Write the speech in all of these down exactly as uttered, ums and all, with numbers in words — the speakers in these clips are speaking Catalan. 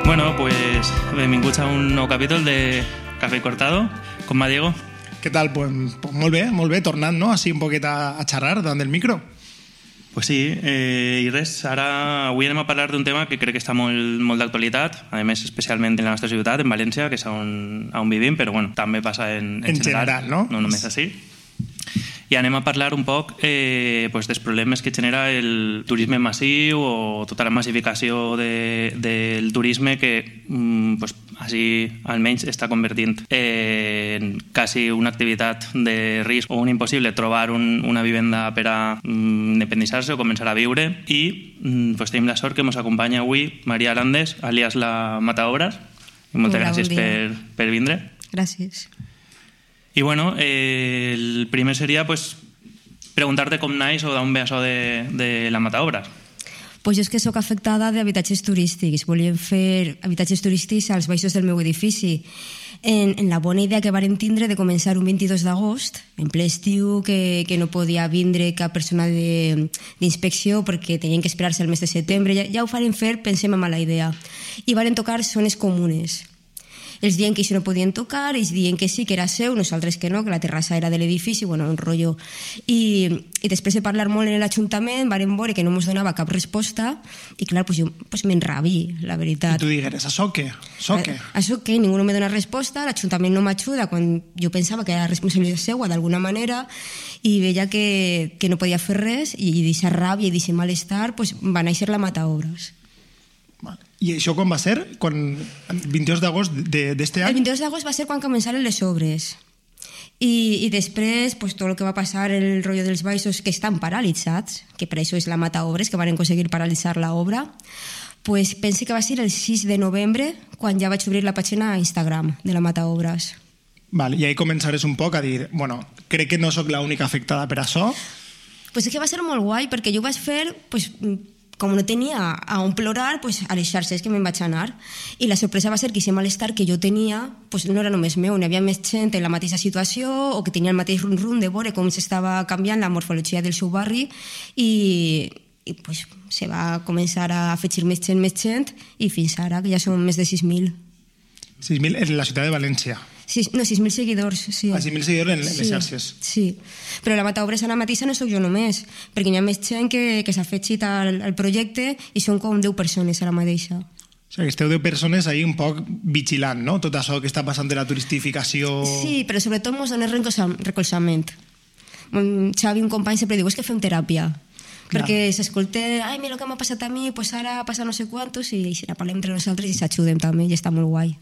Bueno, pues benvinguts a un nou capítol de Café Cortado. Com va, Diego? Què tal? Pues, pues molt bé, molt bé, tornant, no? Així un poquet a, a xerrar davant del micro. Pues sí, eh, i res, ara avui anem a parlar d'un tema que crec que està molt, molt d'actualitat, a més especialment en la nostra ciutat, en València, que és on, on vivim, però bueno, també passa en, en, en general, general, no? No només així. I anem a parlar un poc eh, pues, dels problemes que genera el turisme massiu o tota la massificació de, del turisme que mm, pues, així almenys està convertint en quasi una activitat de risc o un impossible trobar un, una vivenda per a mm, independitzar-se o començar a viure. I mm, pues, tenim la sort que ens acompanya avui Maria Landes, alias la Mataobras. I moltes Hola, gràcies bon per, per vindre. Gràcies. I bueno, eh, el primer seria pues, preguntar-te com naix o d'on ve això de, de la Mataobras. Pues jo és que sóc afectada d'habitatges turístics. Volíem fer habitatges turístics als baixos del meu edifici. En, en la bona idea que varen tindre de començar un vint-i-dos d'agost, en ple estiu, que, que no podia vindre cap persona d'inspecció perquè tenien que esperar-se el mes de setembre. Ja, ja ho farem fer, pensem en mala idea. I varen tocar zones comunes. Ells diuen que això no podien tocar, ells diuen que sí, que era seu, nosaltres que no, que la terrassa era de l'edifici, bueno, un rotllo. I, i després de parlar molt en l'Ajuntament, varen veure que no ens donava cap resposta, i clar, pues jo pues m'enrabi, la veritat. I tu digueres, això què? Això què? A, això què? Ningú no me dona resposta, l'Ajuntament no m'ajuda quan jo pensava que era responsabilitat seva d'alguna manera, i veia que, que no podia fer res, i d'aquesta ràbia i d'aquest malestar pues, va néixer la Mataobras. I això quan va ser? Quan, el vint-i-dos d'agost d'aquest any? El vint-i-dos d'agost va ser quan començaren les obres. I, i després, pues, tot el que va passar, el rotllo dels baixos, que estan paralitzats, que per això és la Mataobres, que van aconseguir paralitzar l'obra, pues, pense que va ser el sis de novembre, quan ja vaig obrir la pàgina a Instagram de la Mataobres. Val, i ahí començaràs un poc a dir, bueno, crec que no sóc l'única afectada per això. Pues és que va ser molt guai, perquè jo ho vaig fer... Pues, com no tenia a on plorar, pues, a les xarxes que me'n vaig anar. I la sorpresa va ser que aquest malestar que jo tenia pues, no era només meu, n'hi havia més gent en la mateixa situació o que tenia el mateix rum-rum de veure com s'estava canviant la morfologia del seu barri i, i pues, se va començar a afegir més gent, més gent i fins ara, que ja són més de sis mil. sis mil en la ciutat de València. Sis, no, sis mil seguidors, sí. Ah, sis mil seguidors en les sí, xarxes. Sí, però la Mataobres ara mateixa no sóc jo només, perquè hi ha més gent que, que s'ha afegit al, al projecte i són com deu persones ara mateixa. O sigui, que esteu deu persones ahí un poc vigilant, no? Tot això que està passant de la turistificació... Sí, però sobretot ens dona recolzament. Xavi, un company, sempre diu, és que fem teràpia. Clar. Perquè s'escolta, ai, mira el que m'ha passat a mi, pues ara passa no sé quantos, i si la parlem entre nosaltres i s'ajudem també, i està molt guai.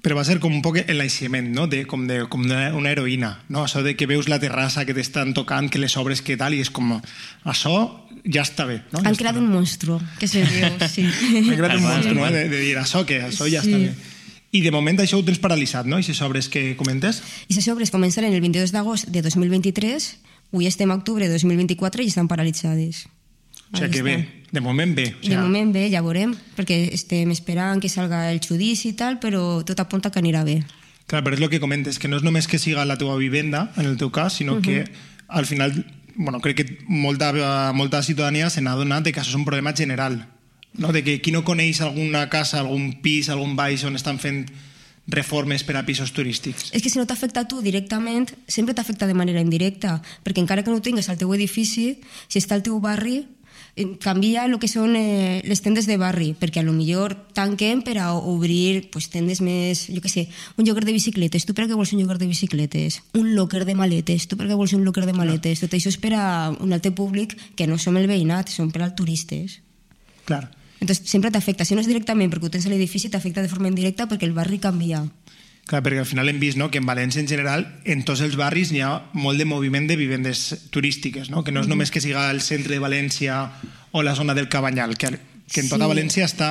Però va ser com un poc l'enlaixement, no? De, com, de, com una heroïna, no? Això de que veus la terrassa que t'estan tocant, que les obres que tal, i és com, això ja està bé, no? Han creat un monstru, que se riu, sí. Han creat un monstru, no? De, de dir, això què? Això ja està bé. I de moment això ho tens paralitzat, no? I les obres que comentes? I les obres començaran el vint-i-dos d'agost de dos mil vint-i-tres, avui estem a octubre de dos mil vint-i-quatre i estan paralitzades. O sigui que bé, de moment bé. O sigui... De moment bé, ja veurem, perquè estem esperant que salga el judici i tal, però tot apunta que anirà bé. Clar, però és el que comentes, que no és només que siga la teva vivenda, en el teu cas, sinó uh -huh. que al final, bueno, crec que molta, molta ciutadania se n'ha donat de que això és un problema general, no? De que qui no coneix alguna casa, algun pis, algun baix on estan fent reformes per a pisos turístics. És que si no t'afecta a tu directament, sempre t'afecta de manera indirecta, perquè encara que no ho tingues al teu edifici, si està al teu barri, canvia el que són eh, les tendes de barri, perquè a lo millor tanquen per a obrir pues, tendes més, jo què sé, un lloguer de bicicletes, tu per què vols un lloguer de bicicletes? Un locker de maletes, tu per què vols un locker de maletes? Tot això és per a un altre públic que no som el veïnat, són per als turistes. Clar. Entonces sempre t'afecta, si no és directament perquè ho tens a l'edifici, t'afecta de forma indirecta perquè el barri canvia. Clar, perquè al final hem vist, no?, que en València en general, en tots els barris hi ha molt de moviment de vivendes turístiques, no? Que no és només que siga el centre de València o la zona del Cabanyal, que, que en tota sí. València està...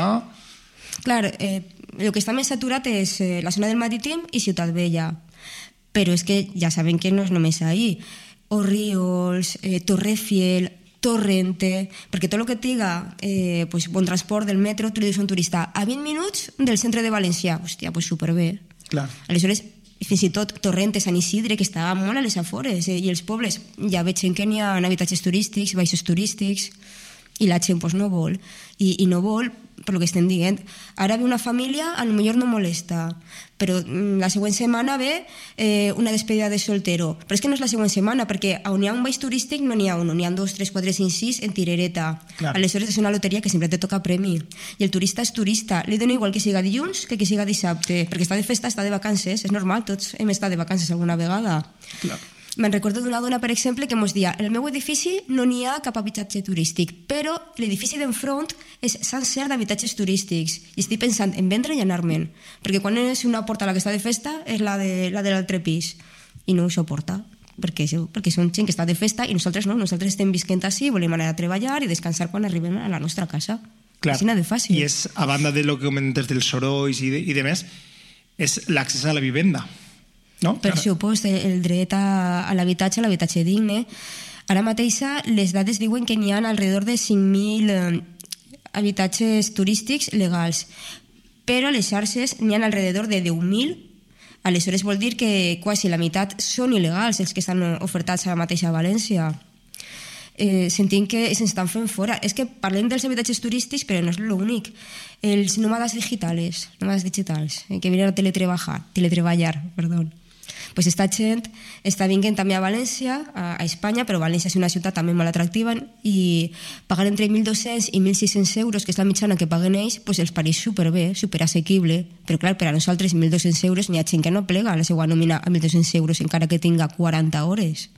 Clar, eh, el que està més saturat és eh, la zona del Marítim i Ciutat Vella, però és que ja sabem que no és només ahí. Orriols, eh, Torrefiel, Torrente, perquè tot el que diga eh, pues, bon transport del metro, tu li dius a un turista a vint minuts del centre de València, hòstia, pues superbé. Clar. Aleshores, fins i tot Torrente, Sant Isidre, que està molt a les afores, eh, i els pobles, ja veig que n'hi ha habitatges turístics, baixos turístics, i la gent pues, no vol. I, I no vol per lo que estem dient. Ara ve una família, a lo millor no molesta, però la següent setmana ve eh, una despedida de soltero. Però és que no és la següent setmana, perquè on hi ha un baix turístic no n'hi ha un, n'hi ha dos, tres, quatre, cinc, sis en tirereta. Clar. Aleshores és una loteria que sempre te toca premi. I el turista és turista. Li dona igual que siga dilluns que que siga dissabte, perquè està de festa, està de vacances, és normal, tots hem estat de vacances alguna vegada. Clar. Me'n recordo d'una dona, per exemple, que mos dia: en el meu edifici no n'hi ha cap habitatge turístic, però l'edifici d'enfront és sencer d'habitatges turístics. I estic pensant en vendre i anar-me'n, perquè quan és una porta la que està de festa és la de la de l'altre pis. I no ho suporta, perquè, perquè són gent que està de festa i nosaltres no, nosaltres estem visquent així, volem anar a treballar i descansar quan arribem a la nostra casa. Clar. Així de fàcil. I és, a banda de lo que comentes dels sorolls i de, i de més, és l'accés a la vivenda. No? Per supost, el dret a, a l'habitatge, a l'habitatge digne. Ara mateix les dades diuen que n'hi ha alrededor de cinc mil eh, habitatges turístics legals, però a les xarxes n'hi ha alrededor de deu mil. Aleshores vol dir que quasi la meitat són il·legals els que estan ofertats a la mateixa València. Eh, sentim que se'ns estan fent fora. És que parlem dels habitatges turístics, però no és l'únic. Els nòmades digitals, nòmades digitals, eh, que venen a teletreballar, teletreballar, perdó. Pues esta gent està vinguent també a València, a, a Espanya, però València és una ciutat també molt atractiva i pagar entre mil dos-cents i mil sis-cents euros, que és la mitjana que paguen ells, pues els pareix superbé, superassequible. Però clar, per a nosaltres mil dos-cents euros n'hi ha gent que no plega la seva nòmina a mil dos-cents euros encara que tinga quaranta hores.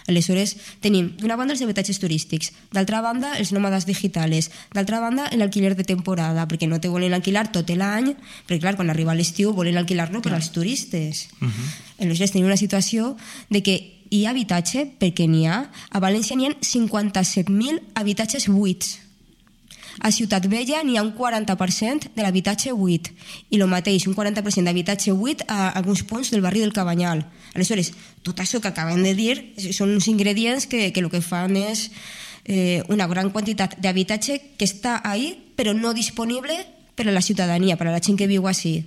Aleshores, tenim d'una banda els habitatges turístics, d'altra banda els nòmades digitals, d'altra banda l'alquiler de temporada, perquè no te volen alquilar tot l'any, perquè clar, quan arriba l'estiu volen alquilar-lo per als turistes. Uh-huh. Aleshores, tenim una situació de que hi ha habitatge, perquè n'hi ha, a València n'hi ha cinquanta-set mil habitatges buits. A Ciutat Vella n'hi ha un quaranta per cent de l'habitatge buit i el mateix, un quaranta per cent d'habitatge buit a alguns punts del barri del Cabanyal. Aleshores, tot això que acabem de dir són uns ingredients que, que el que fan és eh, una gran quantitat d'habitatge que està ahí però no disponible per a la ciutadania, per a la gent que viu així.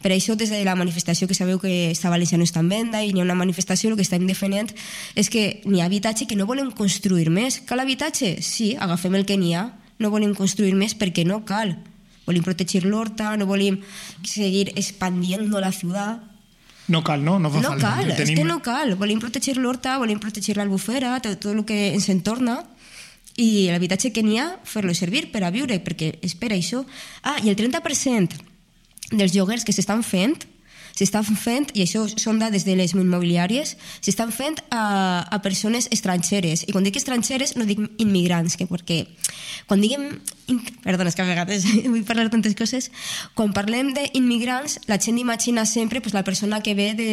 Per això, des de la manifestació, que sabeu que esta València no està en venda i n'hi ha una manifestació, el que estem defendent és que n'hi ha habitatge que no volem construir més. Cal habitatge? Sí, agafem el que n'hi ha. No volem construir més perquè no cal. Volem protegir l'horta, no volem seguir expandiendo la ciutat. No cal, no? No fa no falta. Cal, no tenim... és que no cal. Volem protegir l'horta, volem protegir l'albufera, tot, tot el que ens entorna, i l'habitatge que n'hi ha, fer-lo servir per a viure, perquè és per això. Ah, i el trenta per cent dels lloguers que s'estan fent, s'estan fent, i això són dades de les immobiliàries, s'estan fent a, a persones estrangeres. I quan dic estrangeres no dic immigrants, que perquè quan diguem... Perdona, és que a vegades vull parlar tantes coses. Quan parlem d'immigrants, la gent imagina sempre pues, la persona que ve de,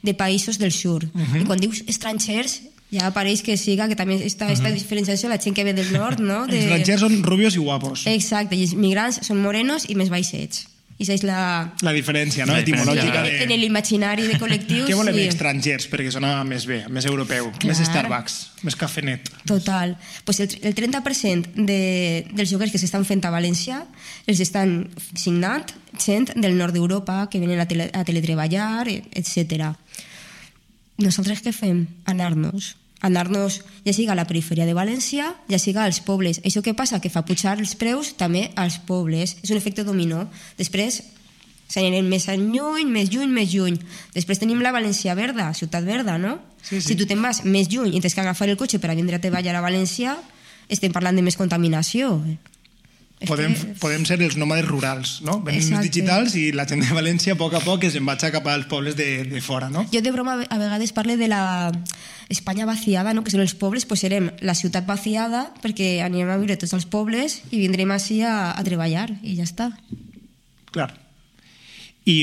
de països del sud. Uh-huh. I quan dius estrangers, ja apareix que siga, que també està aquesta uh-huh. diferenciació, la gent que ve del nord, no? De... Els estrangers són rubios i guapos. Exacte, i els immigrants són morenos i més baixets. I això és la... La diferència, no? La etimològica de... En l'imaginari de col·lectius... Què volem sí. Estrangers? Perquè sona més bé, més europeu, clar. Més Starbucks, més cafenet. Total. Pues el, el trenta per cent de, dels lloguers que s'estan fent a València els estan signant gent del nord d'Europa que venen a, tele, a teletreballar, etcètera. Nosaltres què fem? Anar-nos. anar-nos ja siga a la perifèria de València, ja siga als pobles. Això què passa? Que fa pujar els preus també als pobles. És un efecte dominó. Després s'anirem més lluny, més lluny, més lluny. Després tenim la València verda, ciutat verda, no? Sí, sí. Si tu te'n vas més lluny i tens que agafar el cotxe per a vindre a treballar a València, estem parlant de més contaminació. Podem, podem ser els nòmades rurals, no? Venim els digitals i la gent de València a poc a poc es embatxa cap als pobles de, de fora, no? Jo de broma a vegades parle de la Espanya vaciada, no? Que són els pobles, pues serem la ciutat vaciada perquè anirem a viure tots els pobles i vindrem així a, a treballar i ja està. Clar. I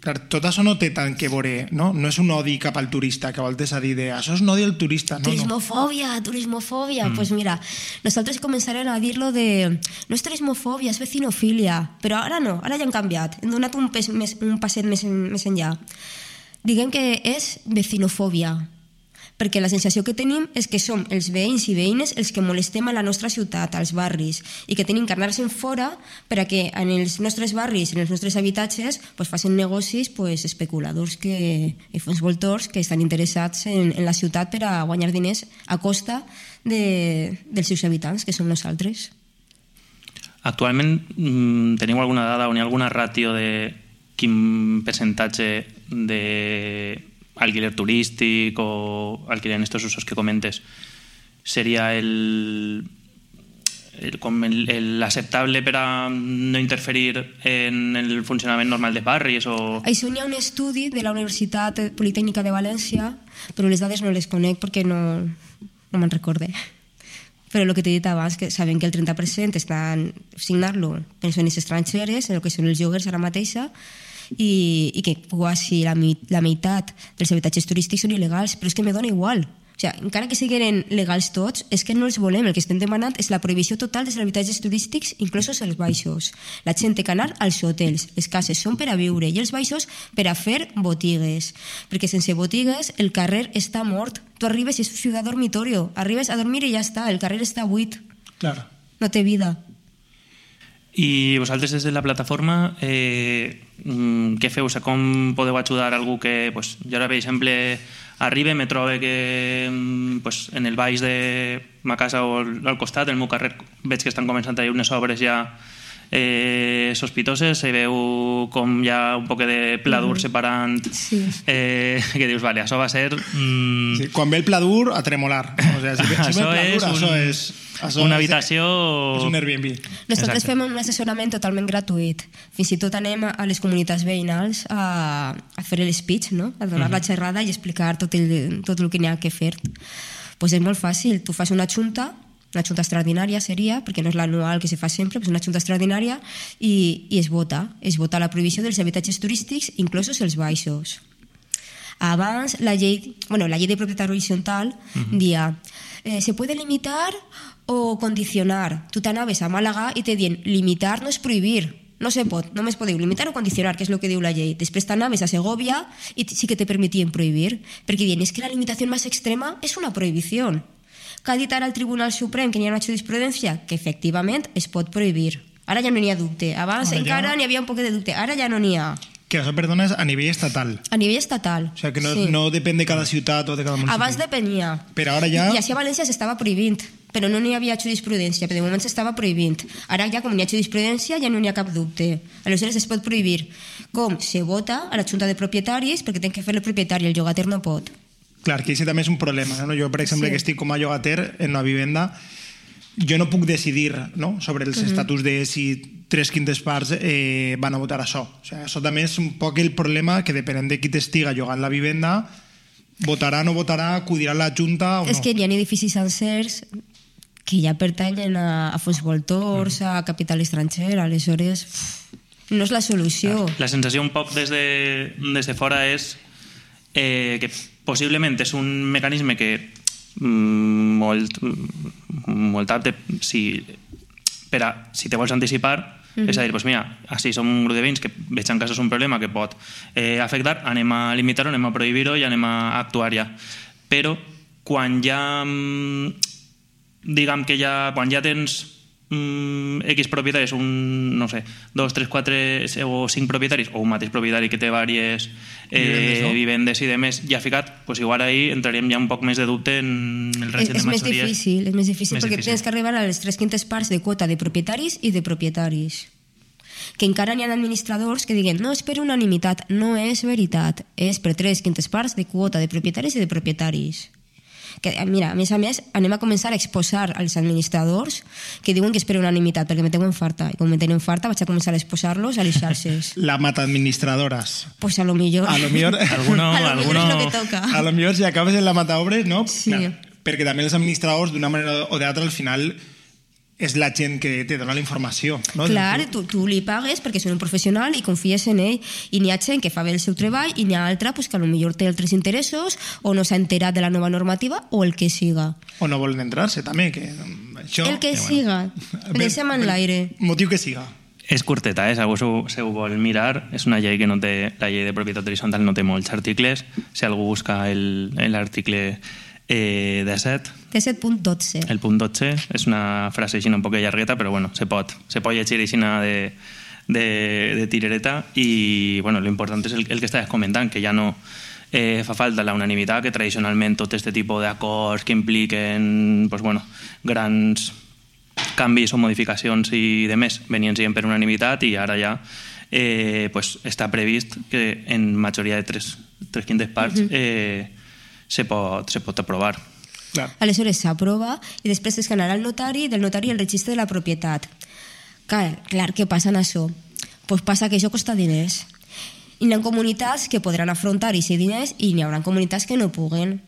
clar, tot això no té tant que veure, no? No és un odi cap al turista, que voltes a dir de això és un odi al turista. No, turismofòbia, no. turismofòbia. Mm. Pues mira, nosaltres començarem a dir-lo de no és turismofòbia, és vecinofília, però ara no, ara ja han canviat, hem donat un, pes, més, un passet més, més enllà. Diguem que és vecinofòbia, perquè la sensació que tenim és que som els veïns i veïnes els que molestem a la nostra ciutat, als barris, i que tenim que anar-se'n fora per a que en els nostres barris, en els nostres habitatges, pues, facin negocis pues, especuladors que, i fons voltors que estan interessats en, en la ciutat per a guanyar diners a costa de, dels seus habitants, que som nosaltres. Actualment mm, teniu alguna dada o hi ha alguna ràtio de quin percentatge d'alquiler turístic o alquiler en estos usos que comentes seria el, el, com el, el aceptable per a no interferir en el funcionament normal de barris o... Això hi ha un estudi de la Universitat Politècnica de València, però les dades no les conec perquè no, no me'n recorde. Però el que t'he dit abans, que sabem que el trenta per cent estan signant-lo persones estrangeres, en el que són els lloguers ara mateixa, i, i que quasi la, la meitat dels habitatges turístics són il·legals, però és que me dona igual. O sigui, encara que siguin legals tots, és que no els volem. El que estem demanant és la prohibició total dels habitatges turístics, inclosos els baixos. La gent té que anar als hotels. Les cases són per a viure i els baixos per a fer botigues. Perquè sense botigues el carrer està mort. Tu arribes i és ciutat dormitorio. Arribes a dormir i ja està. El carrer està buit. Claro. No té vida. I vosaltres des de la plataforma eh, què feu? O sigui, com podeu ajudar a algú que pues, jo ara, per exemple, arribe, me trobe que pues, en el baix de ma casa o al costat, el meu carrer, veig que estan començant a haver unes obres ja eh, sospitoses, se veu com hi ha un poc de pladur mm. separant, sí. eh, que dius, vale, això va ser... Mm... Sí, quan ve el pladur, a tremolar. O sigui, si, si això, ve el pladur, és un... això és... Això una habitació... És un Airbnb. Nosaltres Exacte. Fem un assessorament totalment gratuït. Fins i tot anem a les comunitats veïnals a, a fer el speech, no? A donar uh-huh. la xerrada i explicar tot el, tot el que n'hi ha que fer. Pues és molt fàcil. Tu fas una junta, una junta extraordinària seria, perquè no és l'anual que se fa sempre, és una junta extraordinària i, i es vota. Es vota la prohibició dels habitatges turístics, inclosos els baixos. Abans, la llei, bueno, la llei de propietat horitzontal uh-huh. dia eh, se puede limitar o condicionar. Tu t'anaves a Màlaga i te dient limitar no és prohibir, no se pot, només podeu limitar o condicionar, que és el que diu la llei. Després t'anaves a Segovia i sí que te permetien prohibir, perquè diuen és que la limitació més extrema és una prohibició. Que ha dit ara el Tribunal Suprem que n'hi ha una jurisprudència que efectivament es pot prohibir. Ara ja no n'hi ha dubte. Abans ara encara ja... n'hi havia un poc de dubte, ara ja no n'hi ha. Que això, perdona, és a nivell estatal. A nivell estatal. O sigui, que no, sí. no depèn de cada ciutat o de cada municipi. Abans depenia. Però ara ja... I així a València s'estava prohibint, però no n'hi havia jurisprudència, però de moment s'estava prohibint. Ara ja, com n'hi ha jurisprudència, ja no n'hi ha cap dubte. Aleshores es pot prohibir. Com se vota a la junta de propietaris, perquè té que fer el propietari, el llogater no pot. Clar, que això també és un problema. No? Jo, per exemple, sí. que estic com a llogater en una vivenda, jo no puc decidir, no?, sobre els uh-huh. estatus de si tres quintes parts eh, van a votar això. O sigui, això també és un poc el problema, que depenent de qui t'estiga llogant la vivenda, votarà o no votarà, acudirà a la Junta o no. És que hi ha edificis sencers que ja pertanyen a, a fons voltors, uh-huh. a capital estranger, aleshores no és la solució. La sensació un poc des de, des de fora és eh, que possiblement és un mecanisme que mm, molt, molt apte si, per a, si te vols anticipar, mm-hmm. és a dir, pues mira, així som un grup de veïns que veig en casa és un problema que pot eh, afectar, anem a limitar-ho, anem a prohibir-ho i anem a actuar ja. Però quan ja diguem que ja quan ja tens mm, X propietaris, un, no sé, dos, tres, quatre o cinc propietaris, o un mateix propietari que té diverses eh, vivendes i demés, ja ficat, pues igual ahí entraríem ja un poc més de dubte en el règim de majories. És més difícil, és més difícil més perquè difícil. Tens que arribar a les tres quintes parts de quota de propietaris i de propietaris. Que encara n'hi ha administradors que diguen no és per unanimitat, no és veritat, és per tres quintes parts de quota de propietaris i de propietaris. Que, mira, a més a més, anem a començar a exposar als administradors que diuen que és per unanimitat, perquè me tenen farta. I com me tenen farta, vaig a començar a exposar-los a les xarxes. La mata administradoras. Pues a lo millor. A lo millor, alguno, a lo alguno... millor és lo que toca. A lo millor si acabes en la mata obres, no? Sí. Clar, perquè també els administradors, d'una manera o d'altra, al final és la gent que te dona la informació. No? Clar, tu, tu li pagues perquè és un professional i confies en ell. I n'hi ha gent que fa bé el seu treball i n'hi ha altra pues, que potser té altres interessos o no s'ha enterat de la nova normativa o el que siga. O no volen entrar-se també. Que això, el que eh, siga. Bueno. Deixem en l'aire. Motiu que siga. És curteta, eh? Si algú se ho vol mirar, és una llei que no té, la llei de propietat horitzontal no té molts articles. Si algú busca l'article eh, disset... disset punt dotze. El punt dotze és una frase així un poc llargueta, però bueno, se pot, se pot llegir així de, de, de tirereta i bueno, l'important és el, el que estàs comentant, que ja no eh, fa falta la unanimitat, que tradicionalment tot aquest tipus d'acords que impliquen pues, bueno, grans canvis o modificacions i de més venien sent per unanimitat i ara ja eh, pues, està previst que en majoria de tres, tres quintes parts eh, se, pot, se pot aprovar. Clar. Aleshores s'aprova i després es canarà al notari, del notari el registre de la propietat. Clar, clar què passa en això? Pues passa que això costa diners. I hi ha comunitats que podran afrontar aquests diners i hi haurà comunitats que no puguen.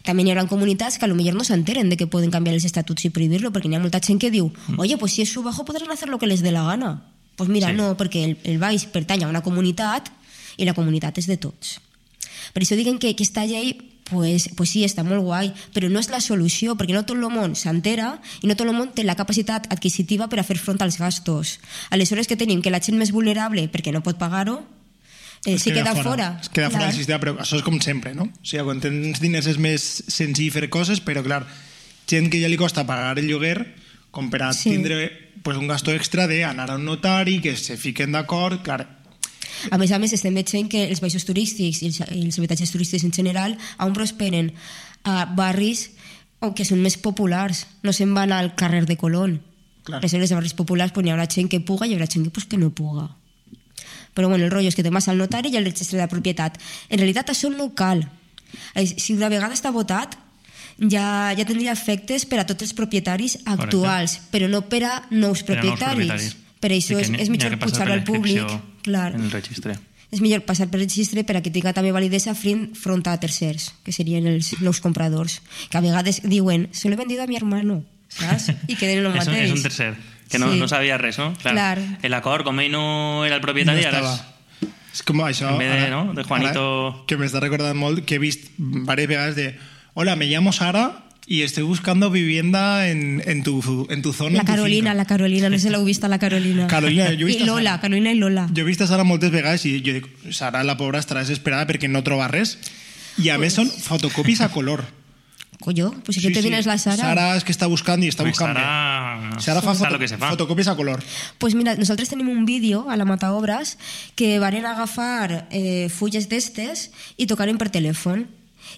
També hi haurà comunitats que a lo millor no s'enteren de que poden canviar els estatuts i prohibir-lo, perquè hi ha molta gent que diu, oye, pues si es su bajo podrán hacer lo que les dé la gana. Pues mira, sí. No, perquè el, el baix pertany a una comunitat i la comunitat és de tots. Per això diguen que aquesta llei Pues, pues sí, està molt guai, però no és la solució, perquè no tot el món s'entera i no tot el món té la capacitat adquisitiva per a fer front als gastos. Aleshores, que tenim? Que la gent més vulnerable, perquè no pot pagar-ho, eh, s'hi queda, queda fora. Es queda fora del sistema, però això és com sempre, no? O sigui, quan tens diners és més senzill fer coses, però, clar, gent que ja li costa pagar el lloguer, com per a sí. tindre pues, un gasto extra d'anar a un notari, que se fiquen d'acord, clar. A més a més, estem veient que els baixos turístics i els, els habitatges turístics en general on prosperen a barris que són més populars, no se'n van al carrer de Colón. Clar. Aleshores, a barris populars pues, hi haurà gent que puga i hi haurà gent que, pues, que no puga. Però bueno, el rotllo és que te vas al notari i al registre de la propietat. En realitat això no cal. Si una vegada està votat, ja, ja tindria efectes per a tots els propietaris actuals, Correcte. Però no per a nous propietaris. Per, propietaris. Per això és, és millor pujar-ho al públic. Clar. En el registre. És millor passar per el registre per a que tinga també validesa front a tercers, que serien els nous compradors, que a vegades diuen, se l'he vendido a mi hermano, saps? I queden el mateix. És un tercer, que no, sí. no sabia res, no? Clar. Clar. L'acord, com ell no era el propietari, no ara és... És com això, en vez de, ara, no? de Juanito... Ara, que m'està recordant molt, que he vist diverses vegades de hola, me llamo Sara y estoy buscando vivienda en, en, tu, en tu zona. La Carolina, la Carolina, no sé si l'heu vist a la Carolina. Carolina, jo he vist I Lola, Sara, Carolina i Lola. Jo he vist a Sara moltes vegades i jo dic, Sara, la pobra, estarà desesperada perquè no troba res. I a pues... més són fotocopis a color. Collo, pues si sí, que te vienes sí. la Sara. Sara es que está buscando y está pues buscando. Sara, Sara fa, foto, que se fa fotocopies a color. Pues mira, nosaltres tenim un vídeo a la Mataobras que van agafar eh, fulles d'estes i tocaren per telèfon.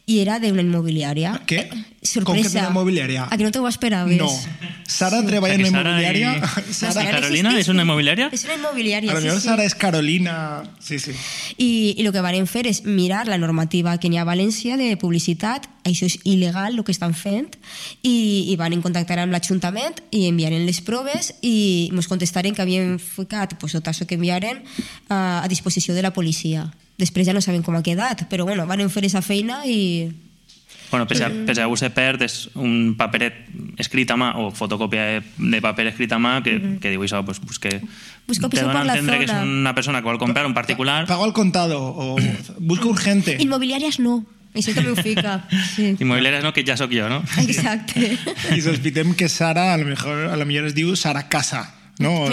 I era d'una immobiliària. Què? Sorpresa. Com que d'una immobiliària? A que no t'ho esperaves? No. Sara sí. treballa en una immobiliària. I... Sara... Carolina és una immobiliària? És una immobiliària, a lo sí, millor sí. Sara és Carolina. Sí, sí. I, i el que van fer és mirar la normativa que n'hi ha a València de publicitat. Això és il·legal, el que estan fent. I, i van contactar amb l'Ajuntament i enviaren les proves i ens contestaren que havien ficat pues, tot això que enviaren a, a disposició de la policia. Després ja no sabem com ha quedat, però bueno, van fer aquesta feina i... Bueno, per si algú se perd, és un paperet escrit a mà o fotocòpia de paper escrit a mà que, mm-hmm. que diu això, pues, pues que pues te dona a entendre que és una persona que vol comprar un particular. Pago al contado o busca urgente. Inmobiliàries no. Això també ho fica. Sí. Inmobiliàries no, que ja sóc jo, no? Exacte. I sospitem que Sara, a lo mejor, a lo millor es diu Sara Casa. No,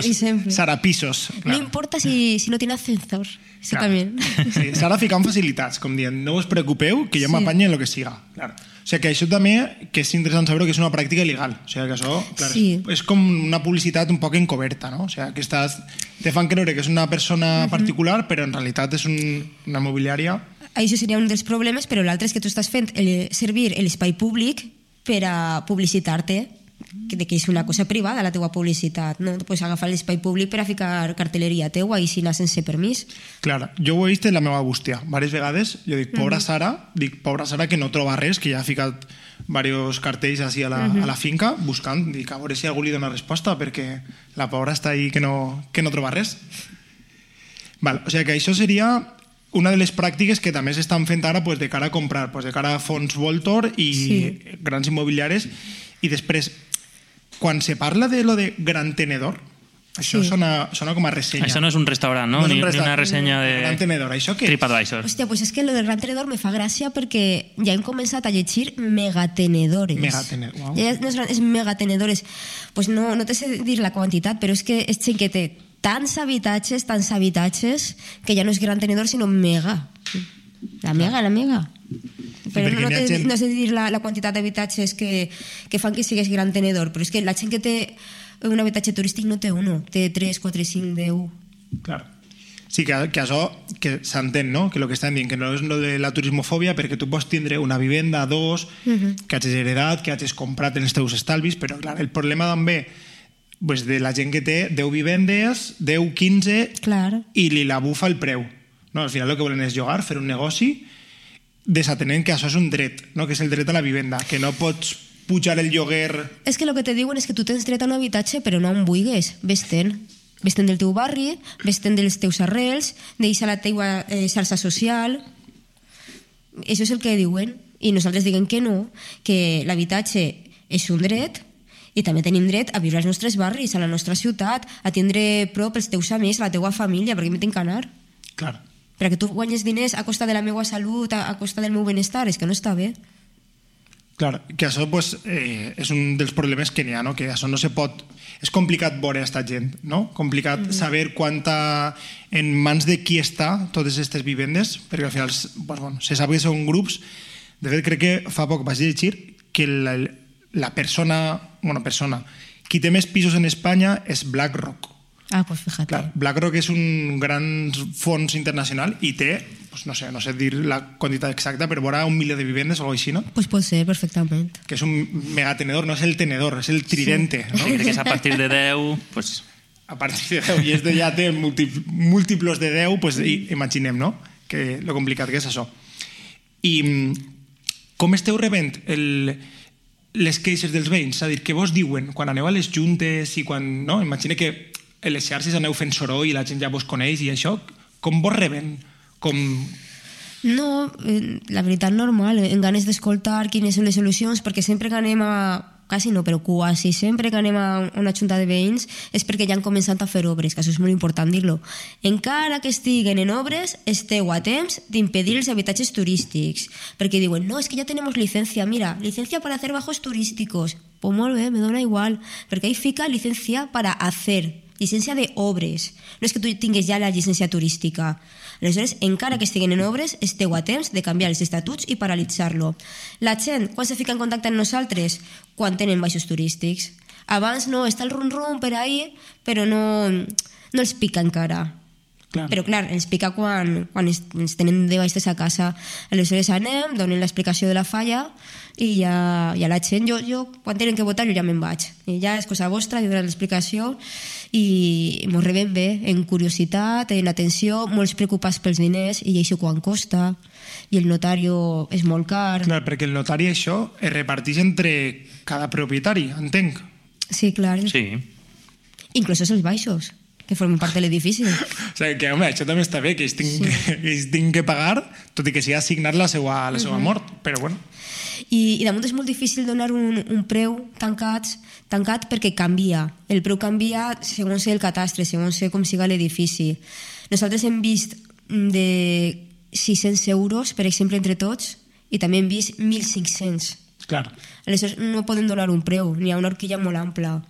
Sara Pisos. Claro. No importa si, si no tiene ascensor. Eso claro. También. Sí, Sara ficant facilitats, com dient, no us preocupeu, que jo sí. m'apanye en lo que siga. Claro. O sigui que això també que és interessant saber que és una pràctica il·legal. O sigui que això clar, sí. és, és com una publicitat un poc encoberta, no? O sigui que estàs, te fan creure que és una persona uh-huh. particular, però en realitat és un, una immobiliària. Això seria un dels problemes, però l'altre és que tu estàs fent el, servir l'espai públic per a publicitar-te de que és una cosa privada la teua publicitat, no? Pues agafar l'espai públic per a ficar cartelleria teua i si anar sense permís. Clar, jo ho he vist en la meva bústia diverses vegades, jo dic, pobra Sara, dic, pobra Sara que no troba res, que ja ha ficat diversos cartells així a la, uh-huh. a la finca buscant, dic, a veure si algú li dona resposta perquè la pobra està ahí que no, que no troba res. Val, o sigui que això seria una de les pràctiques que també s'estan fent ara pues, de cara a comprar, pues, de cara a fons Voltor i sí. grans immobiliaris. I després, quan se parla de lo de gran tenedor, això sí. sona, sona com a ressenya. Això no és un restaurant, no? no ni, un restaurant, ni una ressenya de gran tenedor. Això què? TripAdvisor. Hòstia, pues és que lo del gran tenedor me fa gràcia perquè ja hem començat a llegir megatenedores. Megatenedores, wow. Ja no és, és megatenedores. Pues no, no te sé dir la quantitat, però és que és gent que té tants habitatges, tants habitatges, que ja no és gran tenedor, sinó mega. La mega, la mega. Però no, no, te, gent... no sé dir la, la quantitat d'habitatges que, que fan que sigues gran tenedor, però és que la gent que té un habitatge turístic no té uno, té tres, quatre, cinc, deu. Clar. Sí, que, que això que s'entén, no? Que el que estan dient, que no és lo de la turismofòbia, perquè tu pots tindre una vivenda, dos, uh-huh. que hagis heredat, que hagis comprat en els teus estalvis, però clar, el problema també pues, de la gent que té deu vivendes, deu, quinze, Clar. i li la bufa el preu. No? Al final el que volen és llogar, fer un negoci, desatenent que això és un dret, no? Que és el dret a la vivenda, que no pots pujar el lloguer... És que el que te diuen és que tu tens dret a un habitatge però no on vulguis, vés-te'n. Vés-te'n del teu barri, vés-te'n dels teus arrels, deixa la teua eh, xarxa social... Això és el que diuen. I nosaltres diguem que no, que l'habitatge és un dret i també tenim dret a viure als nostres barris, a la nostra ciutat, a tindre prop els teus amics, la teua família, perquè m'hi tinc que anar. Clar. Perquè tu guanyes diners a costa de la meva salut, a, a costa del meu benestar, és que no està bé. Clar, que això pues, eh, és un dels problemes que n'hi ha, no? Que això no se pot... És complicat veure aquesta gent, no? Complicat mm -hmm. saber quanta... en mans de qui està totes aquestes vivendes, perquè al final pues, bueno, se sap que són grups. De fet, crec que fa poc vaig llegir que la, la persona... Bueno, persona... Qui té més pisos en Espanya és BlackRock. Ah, pues fíjate. Clar, BlackRock és un gran fons internacional i té, pues no sé, no sé dir la quantitat exacta, però vora un milió de vivendes o alguna cosa així, no? Pues pot ser, perfectament. Que és un megatenedor, no és el tenedor, és el tridente. Sí. No? Crec que és a partir de deu... Pues... A partir de deu, i este ja té múltiplos de deu, pues, imaginem, no? Que lo complicat que és això. I com esteu rebent el... les queixes dels veïns? És a dir, què vos diuen quan aneu a les juntes i quan... No? Imagina que en les xarxes aneu fent soroll i la gent ja vos coneix i això, com vos reben? Com... No, la veritat normal, en ganes d'escoltar quines són les solucions, perquè sempre que anem a... quasi no, però quasi sempre que anem a una junta de veïns és perquè ja han començat a fer obres, que això és molt important dir-lo. Encara que estiguen en obres, esteu a temps d'impedir els habitatges turístics, perquè diuen, no, és que ja tenim licencia, mira, licencia para hacer bajos turísticos. Pues molt bé, me dona igual, perquè ahí fica licencia para hacer, llicència d'obres. No és que tu tingues ja la llicència turística. Aleshores, encara que estiguen en obres, esteu a temps de canviar els estatuts i paralitzar-lo. La gent, quan se fica en contacte amb nosaltres? Quan tenen baixos turístics. Abans no, està el rum-rum per ahí, però no, no els pica encara. Clar. Però clar, ens pica quan, quan ens tenen de baixes a casa. Aleshores anem, donen l'explicació de la falla i ja, ja la gent, jo, jo quan tenen que votar jo ja me'n vaig. I ja és cosa vostra, jo dono l'explicació i mos rebem bé, en curiositat, en atenció, molts preocupats pels diners i això quan costa, i el notari és molt car. Clar, perquè el notari això es reparteix entre cada propietari, entenc. Sí, clar. Sí. Inclús els baixos, que formen part de l'edifici. O sigui, que, home, això també està bé, que ells tinguin, sí. que, ells tinguin que pagar, tot i que sigui assignat la seva, la seva uh -huh. mort, però bueno. I, i damunt és molt difícil donar un, un preu tancat, tancat perquè canvia. El preu canvia segons el catastre, segons com siga l'edifici. Nosaltres hem vist de sis-cents euros, per exemple, entre tots, i també hem vist mil cinc-cents. Clar. Aleshores no podem donar un preu, n'hi ha una horquilla molt ampla.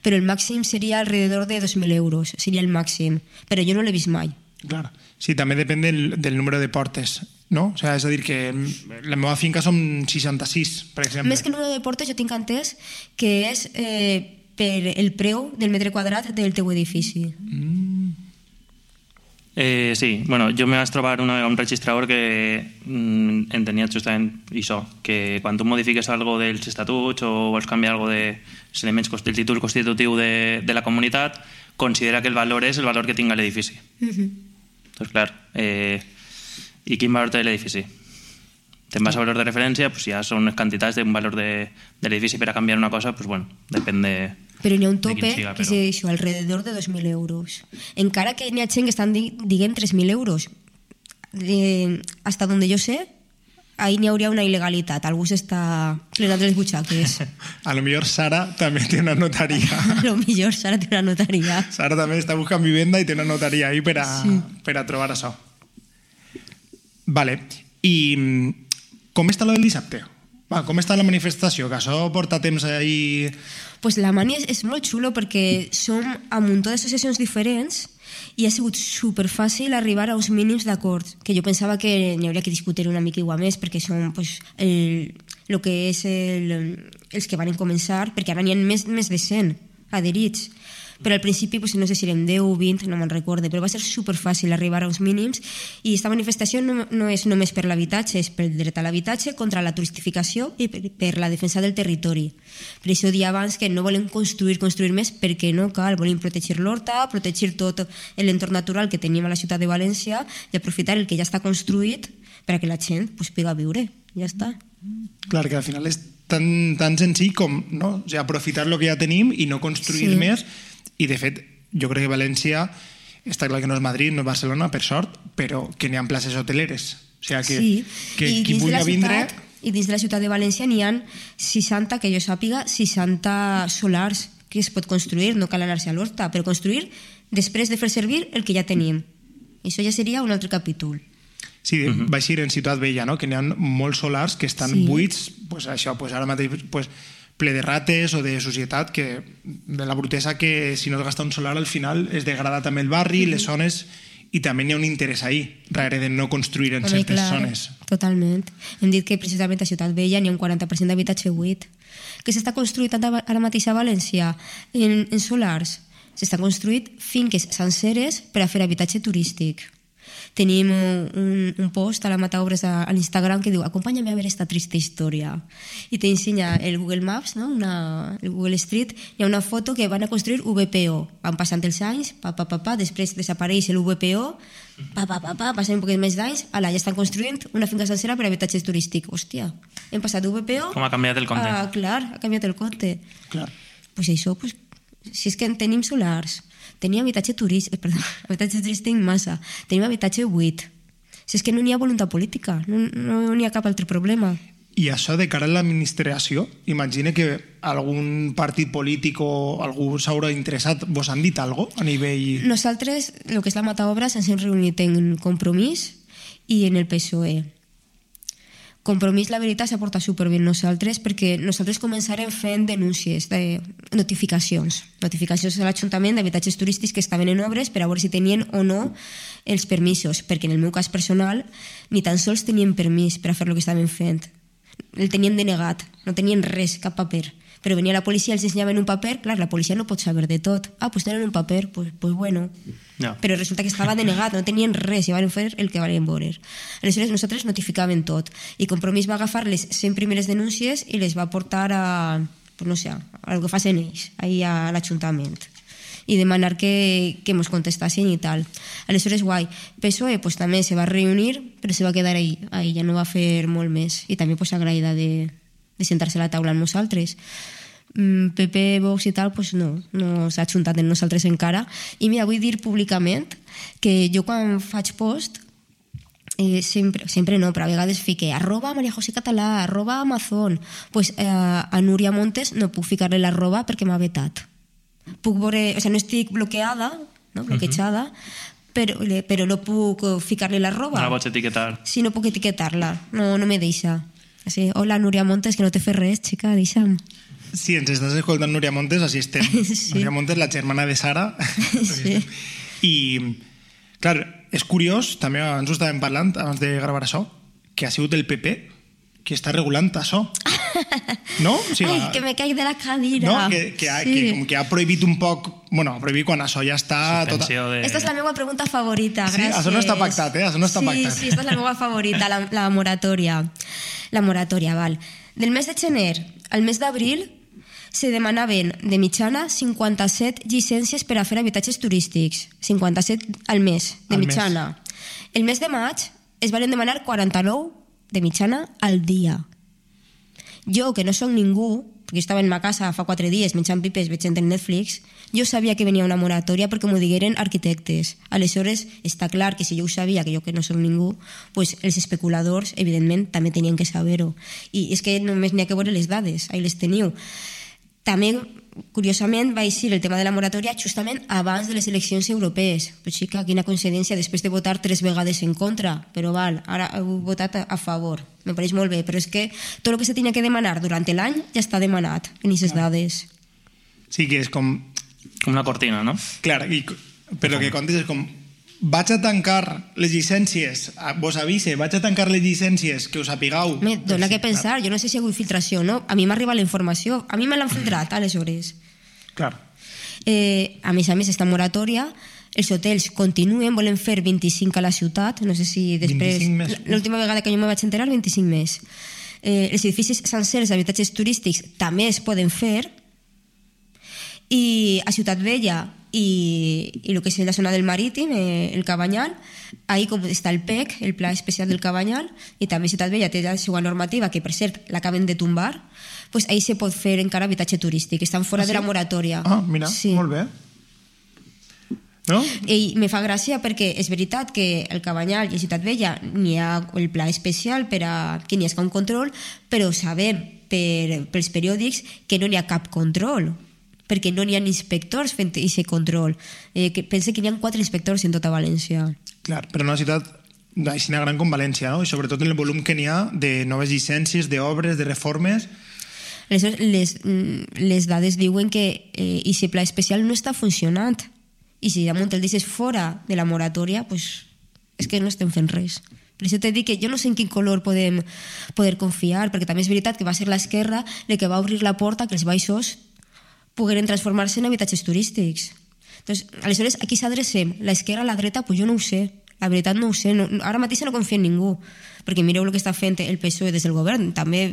Però el màxim seria alrededor de dos mil euros, seria el màxim. Però jo no l'he vist mai. Clar. Sí, també depèn del, del número de portes, no? O sigui, és a dir, que la meva finca són seixanta-sis, per exemple. Més que el número de portes, jo tinc entès que és eh, per el preu del metre quadrat del teu edifici. Mm. Eh, sí, bueno, jo me vaig trobar una, un registrador que mm, entenia justament això, que quan tu modifiques algo dels estatuts o vols canviar algo de els elements del títol constitutiu de, de la comunitat, considera que el valor és el valor que tinga l'edifici. Uh-huh. Doncs clar, eh, i quin valor té l'edifici? Te'n vas a valor de referència, pues ja són les quantitats d'un valor de, de l'edifici per a canviar una cosa, pues bueno, depèn de... Però n'hi ha un tope siga, que però... és això, alrededor de dos mil euros. Encara que n'hi ha gent que estan dient tres mil euros. Eh, hasta donde yo sé, ahí n'hi hauria una il·legalitat. Algú s'està plenant les butxaques. A lo millor Sara també té una notaria. A lo millor Sara té una notaria. Sara també està buscant vivenda i té una notaria ahí per a, sí. per a trobar això. Vale. I com està lo del dissabte? Va, com està la manifestació? Que això porta temps ahí... Pues la mani és, és molt xulo perquè som a un muntó d'associacions diferents i ha sigut superfàcil arribar a uns mínims d'acord, que jo pensava que n'hi hauria que discutir una mica igual més perquè són pues, el, el que és el, els que van començar, perquè ara n'hi ha més, més de cent adherits. però al principi pues, no sé si érem deu o vint, no me'n recorde, però va ser superfàcil arribar als mínims i aquesta manifestació no, no és només per l'habitatge, és pel dret a l'habitatge, contra la turistificació i per, per la defensa del territori. Per això dia abans que no volem construir, construir més perquè no cal, volem protegir l'horta, protegir tot l'entorn natural que tenim a la ciutat de València i aprofitar el que ja està construït perquè la gent pues, pugui viure, ja està. Clar, que al final és tan, tan senzill com no? O sigui, aprofitar el que ja tenim i no construir sí. més. I, de fet, jo crec que València, està clar que no és Madrid, no és Barcelona, per sort, però que n'hi ha places hoteleres. O sigui, que, sí. que I qui vulgui vindre... I dins de la ciutat de València n'hi ha seixanta, que jo sàpiga, seixanta solars que es pot construir, no cal anar-se a l'horta, però construir després de fer servir el que ja tenim. Això ja seria un altre capítol. Sí, uh -huh. va ser en Ciutat Vella, no? Que n'hi ha molts solars que estan sí. buits, pues això, pues ara mateix pues, ple de rates o de societat, que de la brutesa que si no es gasta un solar al final es degrada també el barri, uh -huh. les zones, i també n'hi ha un interès ahí, darrere de no construir en Home, certes clar, zones. Totalment. Hem dit que precisament a Ciutat Vella n'hi ha un quaranta per cent d'habitatge buit. Que s'està construït ara mateix a València en, en solars. S'estan construït finques senceres per a fer habitatge turístic. Tenim un, un post a la Mataobres a, a l'Instagram que diu acompáñame a ver esta triste història i t'ensenya el Google Maps, no? Una, el Google Street, hi ha una foto que van a construir V P O, van passant els anys, pa, pa, pa, pa, després desapareix el V P O, pa, pa, pa, pa, passen un poquet més d'anys, ala, ja estan construint una finca sencera per a habitatge turístic. Hòstia, hem passat d'U V P O... Com ha canviat el compte. Ah, clar, ha canviat el compte. Clar. Pues això, pues, si és que en tenim solars, tenim habitatge turístic, perdó, habitatge turístic massa, tenim habitatge buit. Si és que no n'hi ha voluntat política, no, no n'hi ha cap altre problema. I això de cara a l'administració, imagina que algun partit polític o algú s'haurà interessat, vos han dit alguna cosa a nivell... Nosaltres, el que és la Mataobres, ens hem reunit en Compromís i en el P S O E. Compromís, la veritat, s'ha portat superbé nosaltres perquè nosaltres començarem fent denúncies, de notificacions. Notificacions a l'Ajuntament d'habitatges turístics que estaven en obres per a veure si tenien o no els permisos, perquè en el meu cas personal ni tan sols tenien permís per a fer el que estaven fent. El tenien denegat, no tenien res, cap paper. Però venia la policia, els ensenyaven un paper, clar, la policia no pot saber de tot. Ah, doncs tenen un paper, pues, pues bueno. No. Però resulta que estava denegat, no tenien res, i van fer el que van veure. Aleshores, nosaltres notificàvem tot. I Compromís va agafar les cent primeres denúncies i les va portar a, pues no sé, a el que facin ells, ahí a l'Ajuntament. I demanar que, que ens contestassin i tal. Aleshores, guai. P S O E pues, també se va reunir, però se va quedar ahí, ahí ja no va fer molt més. I també pues, agraïda de, de sentar-se a la taula amb nosaltres. P P, Vox i tal, pues no, no s'ha ajuntat en nosaltres encara. I mira, vull dir públicament que jo quan faig post, eh, sempre, sempre no, però a vegades fique arroba Maria José Català, arroba Amazon, pues eh, a Núria Montes no puc ficar-li l'arroba perquè m'ha vetat. Puc veure, o sigui, no estic bloqueada, no, bloquejada, uh-huh. però, però no puc ficar-li l'arroba. No la pots etiquetar. Sí, no puc etiquetar-la, no, no me deixa. Així, hola, Núria Montes, que no te fes res, xica, deixa'm. Sí, ens estàs escoltant Núria Montes, així estem. Sí. Núria Montes, la germana de Sara. Sí. I, clar, és curiós, també ens ho estàvem parlant abans de gravar això, que ha sigut el P P que està regulant això. No? O sigui, ai, que me caic de la cadira. No? Que, que, ha, sí. que, com que ha prohibit un poc... Bueno, ha prohibit quan això ja està... Suspensió tota... de... Esta és la meva pregunta favorita, gràcies. Sí, això no està pactat, eh? Això no està sí, pactat. Sí, esta és la meva favorita, la, la moratòria. La moratòria, val. Del mes de gener al mes d'abril se demanaven de mitjana cinquanta-set llicències per a fer habitatges turístics. cinquanta-set al mes, de al mitjana. Mes. El mes de maig es van demanar quaranta-nou de mitjana al dia. Jo, que no soc ningú, perquè estava en ma casa fa quatre dies menjant pipes, veient el Netflix, jo sabia que venia una moratòria perquè m'ho digueren arquitectes. Aleshores, està clar que si jo ho sabia, que jo que no soc ningú, pues els especuladors, evidentment, també tenien que saber-ho. I és que només n'hi ha que veure les dades, ahí les teniu. També, curiosament, va eixir el tema de la moratòria justament abans de les eleccions europees. Però sí que quina coincidència, després de votar tres vegades en contra, però val, ara heu votat a favor. Me pareix molt bé, però és que tot el que se tenia que demanar durant l'any ja està demanat en aquestes dades. Sí, que és com... Com una cortina, no? Clar, i, però el que contes és com... Vaig a tancar les llicències, vos avise, vaig a tancar les llicències, que us apigueu. Me dona que pensar, jo no sé si hi ha hagut filtració o no. A mi m'ha arribat la informació, a mi me l'han filtrat, aleshores. Clar. Eh, a més a més, esta moratòria, els hotels continuen, volen fer vint-i-cinc a la ciutat, no sé si després... vint-i-cinc més. L'última vegada que jo me vaig enterar, vint-i-cinc més. Eh, els edificis sencers d'habitatges turístics també es poden fer, i a Ciutat Vella i, i el que és la zona del Marítim, eh, el Cabanyal, ahí com està el P E C, el Pla Especial del Cabanyal, i també Ciutat Vella té la seva normativa, que per cert l'acaben de tombar, pues ahí se pot fer encara habitatge turístic, estan fora ah, sí? de la moratòria. Ah, mira, sí. Molt bé. No? I me fa gràcia perquè és veritat que el Cabanyal i a Ciutat Vella n'hi ha el pla especial per a que n'hi hagi un control, però sabem per, pels periòdics que no n'hi ha cap control, perquè no n'hi ha inspectors fent aquest control. Eh, que pense que n'hi ha quatre inspectors en tota València. Clar, però en una ciutat així gran com València, no? I sobretot en el volum que n'hi ha de noves llicències, d'obres, de reformes... Aleshores, les, les dades diuen que eh, aquest pla especial no està funcionant. I si damunt el deixes fora de la moratòria, pues, és que no estem fent res. Per això t'he dit que jo no sé en quin color podem poder confiar, perquè també és veritat que va ser l'esquerra el que va obrir la porta que els baixos pogueren transformar-se en habitatges turístics. Entonces, aleshores, a qui s'adrecem? L'esquerra, la dreta? Pues jo no ho sé. La veritat no ho sé. No, ara mateix no confio en ningú. Perquè mireu el que està fent el P S O E des del govern. També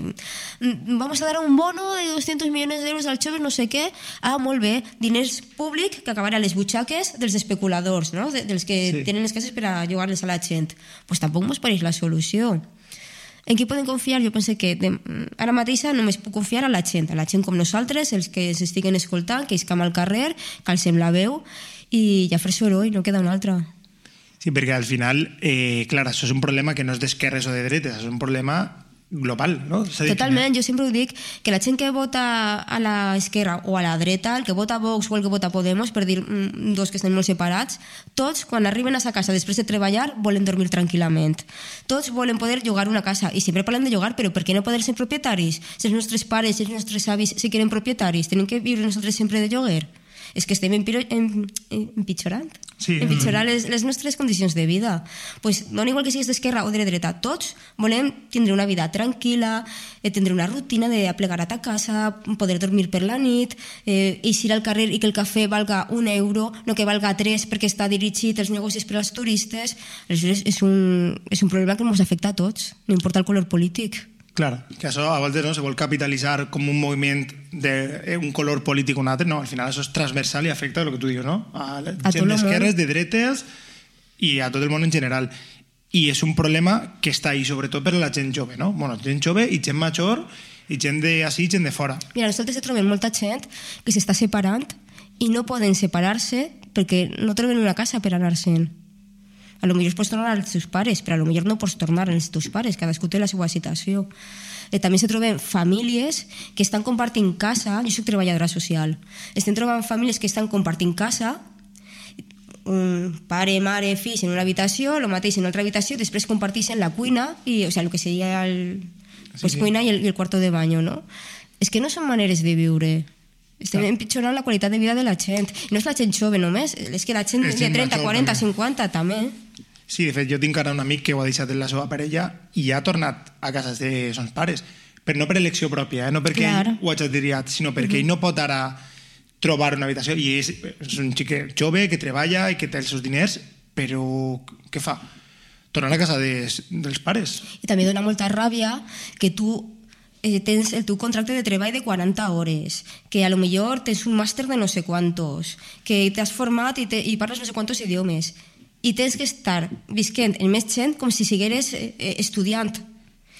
vamos a dar un bono de doscientos millones d'euros als joves, no sé què. Ah, molt bé. Diners públics que acabaran a les butxaques dels especuladors, no? De, dels que sí. Tenen les cases per a llogar-les a la gent. Doncs pues tampoc mos pareix la solució. En qui poden confiar? Jo penso que de, ara mateix només puc confiar a la gent, a la gent com nosaltres, els que s'estiguen escoltant, que iscam al carrer, que alcem la veu i ja fer soroll, no queda una altra. Sí, perquè al final, eh, clar, això és un problema que no és d'esquerres o de dretes, és un problema global, no? Totalment, jo sempre ho dic, que la gent que vota a l'esquerra o a la dreta, el que vota Vox o el que vota Podemos, per dir dos que estan molt separats, tots, quan arriben a sa casa després de treballar, volen dormir tranquil·lament. Tots volen poder llogar una casa, i sempre parlem de llogar, però per què no poder ser propietaris? Si els nostres pares i els nostres avis si quieren propietaris, tenen que viure nosaltres sempre de lloguer? És que estem empitjorant, sí. empitjorant les, les nostres condicions de vida. Pues, no igual que siguis d'esquerra o de dreta, tots volem tindre una vida tranquil·la, eh, tindre una rutina d'aplegar a ta casa, poder dormir per la nit, eh, eixir al carrer i que el cafè valga un euro, no que valga tres perquè està dirigit als negocis per als turistes. Aleshores, és un, és un problema que ens afecta a tots, no importa el color polític. Clar, que això a vegades no, se vol capitalitzar com un moviment d'un color polític o un altre, no, al final això és transversal i afecta el que tu dius, no? A la a gent d'esquerres, de dretes i a tot el món en general. I és un problema que està ahí sobretot per a la gent jove, no? Bueno, gent jove i gent major i gent d'ací i gent de fora. Mira, nosaltres trobem molta gent que s'està separant i no poden separar-se perquè no troben una casa per anar-se'n. A lo millor pots tornar als teus pares, però a lo millor no pots tornar als teus pares, cadascú té la seva situació. Eh, també se troben famílies que estan compartint casa, jo soc treballadora social, estem trobant famílies que estan compartint casa, un pare, mare, fills en una habitació, el mateix en una altra habitació, després comparteixen la cuina, i, o sigui, el que seria el, pues, sí, sí. cuina i el, i el cuarto de baño, no? És que no són maneres de viure. Estem empitjorant la qualitat de vida de la gent. I no és la gent jove només, és que la gent de trenta, quaranta, cinquanta també. Sí, de fet, jo tinc ara un amic que ho ha deixat en la seva parella i ha tornat a casa de sons pares, però no per elecció pròpia, eh? No perquè Clar. ell ho hagi triat, sinó perquè uh -huh. ell no pot ara trobar una habitació, i és, és un xic jove que treballa i que té els seus diners, però què fa? Tornar a casa de, dels pares. I també dona molta ràbia que tu eh, tens el teu contracte de treball de quaranta hores, que a lo millor tens un màster de no sé quantos, que t'has format i, te, i parles no sé quantos idiomes, i tens que estar visquent en més gent com si sigueres eh, estudiant.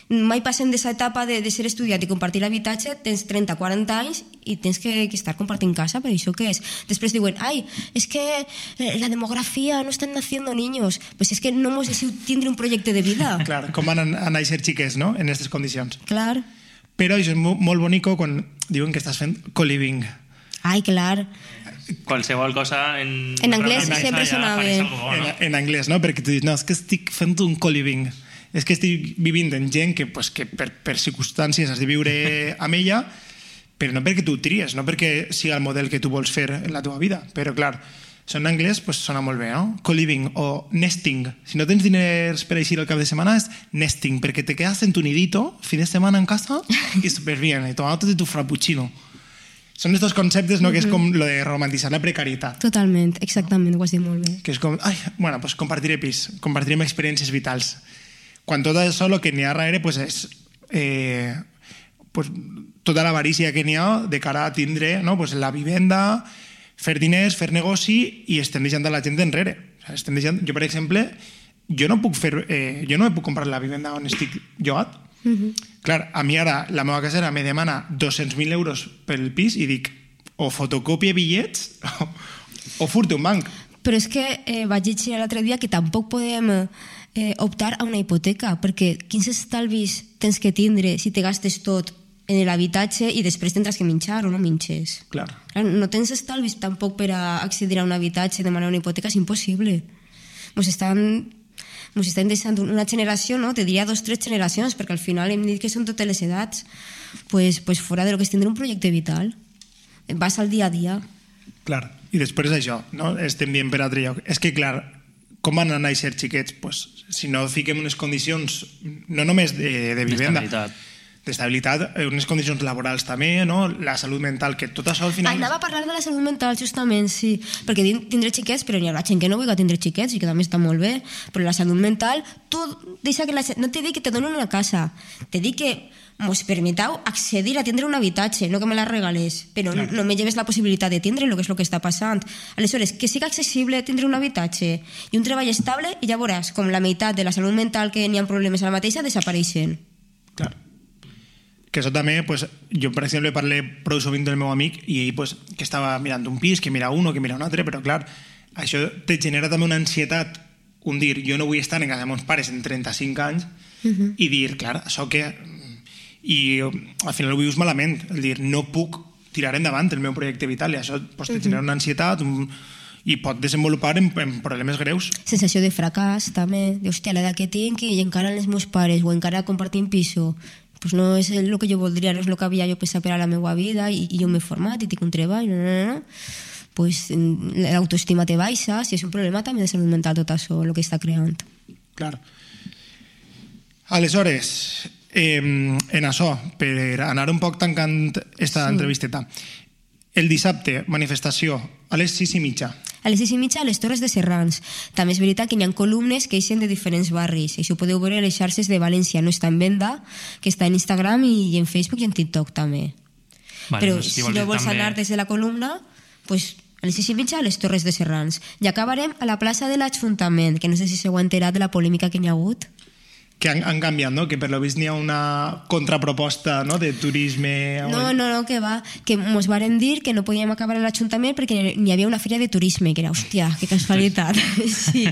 Mai passem d'aquesta etapa de, de ser estudiant i compartir l'habitatge, tens trenta, quaranta anys i tens que, que estar compartint casa, però això què és? Després diuen, ai, és que la demografia no estan naciendo niños. Pues és que no mos deixeu tindre un projecte de vida. Clar, com van a, a néixer xiques, no?, en aquestes condicions. Clar. Però això és molt, molt bonico quan diuen que estàs fent co-living. Ai, clar. Qualsevol cosa en... En anglès sempre sonava bé. En, en anglès, no? Perquè tu dius, no, és que estic fent un co-living. És que estic vivint amb gent que, pues, que per, per circumstàncies has de viure amb ella, però no perquè tu ho tries, no perquè siga el model que tu vols fer en la teva vida. Però, clar, en anglès pues, sona molt bé, no? Co-living o nesting. Si no tens diners per eixir el cap de setmana, és nesting, perquè te quedas en tu nidito, fin de setmana en casa, i súper bien, y tomándote tu frappuccino. Són estos conceptes, no?, que és com lo de romantitzar la precarietat. Totalment, exactament, ho has dit molt bé. Que és com, ai, bueno, pues compartiré pis, compartirem experiències vitals. Quan tot això el que n'hi ha darrere pues, és eh, pues, tota l'avarícia que n'hi ha de cara a tindre, no?, pues, la vivenda, fer diners, fer negoci, i estem deixant la gent enrere. O sigui, estem deixant, jo, per exemple, jo no puc fer, eh, jo no me puc comprar la vivenda on estic llogat. Uh-huh. Clar, a mi ara la meva casera me demana dos-cents mil euros pel pis i dic, o fotocopie bitllets o, o furte un banc. Però és que eh, vaig llegir l'altre dia que tampoc podem eh, optar a una hipoteca, perquè quins estalvis tens que tindre si te gastes tot en l'habitatge i després tindràs que minxar o no minxes. Clar. Clar, no tens estalvis tampoc per a accedir a un habitatge, demanar una hipoteca, és impossible. Mos estan... Ens estem deixant una generació, no? Te diria dos, tres generacions, perquè al final hem dit que són totes les edats. Pues, pues fora de lo que és tindre un projecte vital. Vas al dia a dia. Clar, i després això, no? Estem dient per altre lloc. És que, clar, com van a néixer xiquets? Pues, si no fiquem unes condicions, no només de, de vivenda, d'estabilitat, d'estabilitat, unes condicions laborals també, no? La salut mental, que tot això al final... Ah, anava a parlar de la salut mental, justament, sí. Perquè tindre xiquets, però n'hi ha gent que no vulgui tindre xiquets i que també està molt bé. Però la salut mental, tu deixa que la... No te dic que te donen una casa, te dic que mos permeteu accedir a tindre un habitatge, no que me la regales, però no, no me lleves la possibilitat de tindre el que és el que està passant. Aleshores, que siga accessible tindre un habitatge i un treball estable, i ja veuràs com la meitat de la salut mental que n'hi ha problemes a la mateixa desapareixen. Clar. Que això també, pues, jo per exemple parlé prou sovint del meu amic i ell pues, que estava mirant un pis, que mira un o que mira un altre, però clar, això te genera també una ansietat, un dir, jo no vull estar en casa de meus pares en trenta-cinc anys, uh-huh. i dir, clar, això que... I al final ho vius malament, el dir, no puc tirar endavant el meu projecte vital, i això pues, te genera una ansietat un... i pot desenvolupar en, en problemes greus. Sensació de fracàs també, de hòstia, l'edat que tinc i encara els meus pares o encara compartim piso, pues no és el que jo voldria, no és el que havia jo pensat per a la meva vida, i, i jo m'he format i tinc un treball, no, no, no. Pues l'autoestima te baixa, si és un problema també de salut mental tot això, el que està creant. Clar. Aleshores, eh, en això, per anar un poc tancant esta sí. entrevisteta, el dissabte, manifestació, a les sis i mitja. A les sis i mitja a les Torres de Serrans. També és veritat que hi ha columnes que eixen de diferents barris. Això ho podeu veure a les xarxes de València. No està en venda, que està en Instagram i en Facebook i en TikTok també. Vale, però no, si, si no vols també... anar des de la columna, pues, a les sis i mitja a les Torres de Serrans. I acabarem a la plaça de l'Ajuntament, que no sé si s'heu enterat de la polèmica que n'hi ha hagut. Que han, han canviat, no? Que per lo vist n'hi ha una contraproposta, no?, de turisme... No, no, no, que va, que mos varen dir que no podíem acabar a l'Ajuntament perquè n'hi havia una fira de turisme, que era, hòstia, que casualitat. Sí.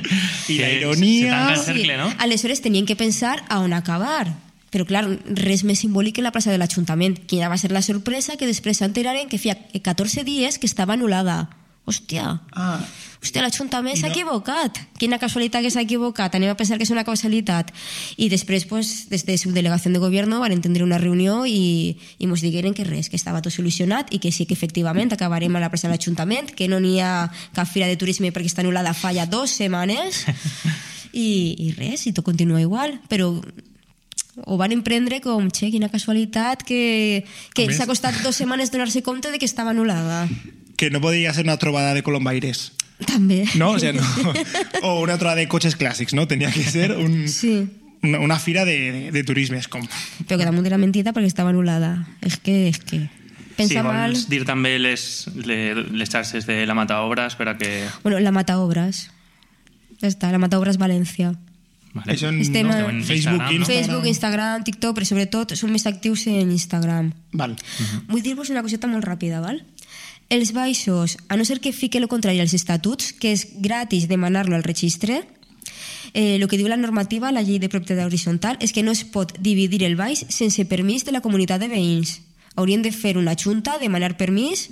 I la ironia... Se cercle, no? Sí. Aleshores tenien que pensar a on acabar. Però, clar, res més simbòlic que la plaça de l'Ajuntament. Quina va ser la sorpresa que després s'enteraren que feia catorze dies que estava anul·lada. Hòstia, ah. Hòstia, l'Ajuntament s'ha no. equivocat. Quina casualitat que s'ha equivocat. Anem a pensar que és una casualitat. I després, pues, des de subdelegació de govern van entendre una reunió i, i ens digueren que res, que estava tot solucionat i que sí que efectivament acabarem a la plaça de l'Ajuntament, que no n'hi ha cap fira de turisme perquè està anul·lada fa ja dues setmanes i, i res, i tot continua igual. Però ho van emprendre com, che, quina casualitat que, que s'ha costat dues setmanes donar-se compte de que estava anul·lada. Que no podria ser una trobada de colombaires. També. No? O, sea, no. O una trobada de cotxes clàssics, no? Tenia que ser un, sí. una, una fira de, de, de turisme. És com... Però que damunt de la mentida perquè estava anul·lada. És que... És que... Pensa sí, mal... vols dir també les, les, les xarxes de la Mataobres per a que... Bueno, la Mataobres. Ja està, la Mataobres València. Vale. Això en, Estem no? en Facebook, Instagram, Instagram. Facebook, Instagram, TikTok, però sobretot som més actius en Instagram. Val. Uh-huh. Vull dir-vos una coseta molt ràpida, val? Els baixos, a no ser que fique el contrari als estatuts, que és gratis demanar-lo al registre, eh, el que diu la normativa, la llei de propietat horitzontal, és que no es pot dividir el baix sense permís de la comunitat de veïns. Haurien de fer una junta, demanar permís,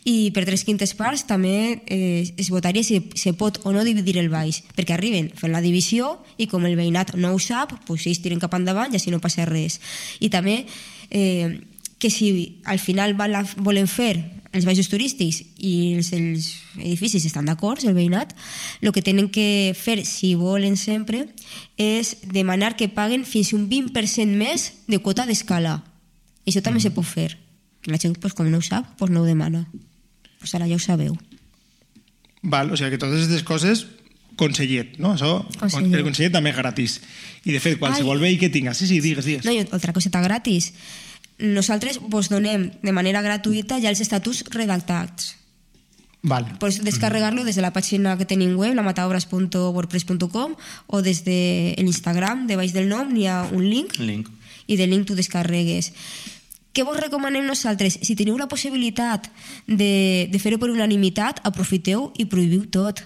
i per tres quintes parts també eh, es votaria si se pot o no dividir el baix, perquè arriben fent la divisió i com el veïnat no ho sap, doncs ells tiren cap endavant i així no passa res. I també eh, que si al final volen fer els baixos turístics i els, els edificis estan d'acord, el veïnat, el que tenen que fer, si volen sempre, és demanar que paguen fins un vint per cent més de quota d'escala. Això també mm. se pot fer. La gent, pues, com no ho sap, pues no ho demana. Pues ara ja ho sabeu. Val, o sigui que totes aquestes coses, consellet, no? Això, Consellet. el consellet també és gratis. I de fet, qualsevol veí que tinga... Sí, sí, digues, digues. No, i altra coseta gratis. Nosaltres vos donem de manera gratuïta ja els estatuts redactats. Val. Pots descarregar-lo des de la pàgina que tenim web, la mataobras punt wordpress punt com, o des de l'Instagram, de baix del nom, n'hi ha un link, Link. i del link tu descarregues. Què vos recomanem nosaltres? Si teniu la possibilitat de, de fer-ho per unanimitat, aprofiteu i prohibiu tot.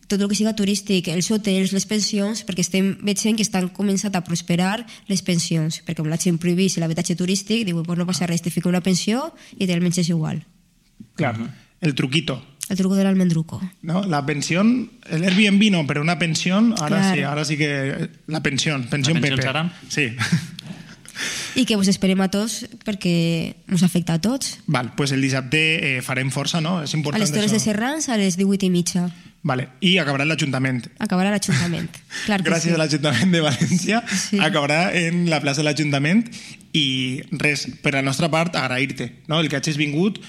Tot el que siga turístic, els hotels, les pensions, perquè estem veient que estan començant a prosperar les pensions, perquè com la gent prohibís l'habitatge turístic, diu, pues no passa res, te fica una pensió i te menges igual. Clar, el truquito. El truco de l'almendruco. ¿No? La pensión, el Airbnb no, pero una pensión, ahora Claro. sí, ahora sí que la pensión, pensión La pensión Pepe. serà? Sí. I que us esperem a tots perquè us afecta a tots. Val, pues el dissabte eh, farem força, no? És A important les Torres de això. Serrans a les divuit i mitja. Vale, i acabarà en l'Ajuntament. Acabarà l'Ajuntament. Clar que Gràcies sí. a l'Ajuntament de València, Sí. acabarà en la plaça de l'Ajuntament i res, per la nostra part, agrair-te, no? El que hagis vingut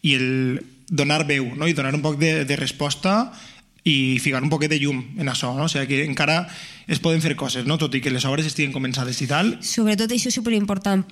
i el donar veu, no? I donar un poc de, de resposta i ficar un poquet de llum en això, no? O sigui que encara es poden fer coses, no? Tot i que les obres estiguen començades i tal. Sobretot això és superimportant,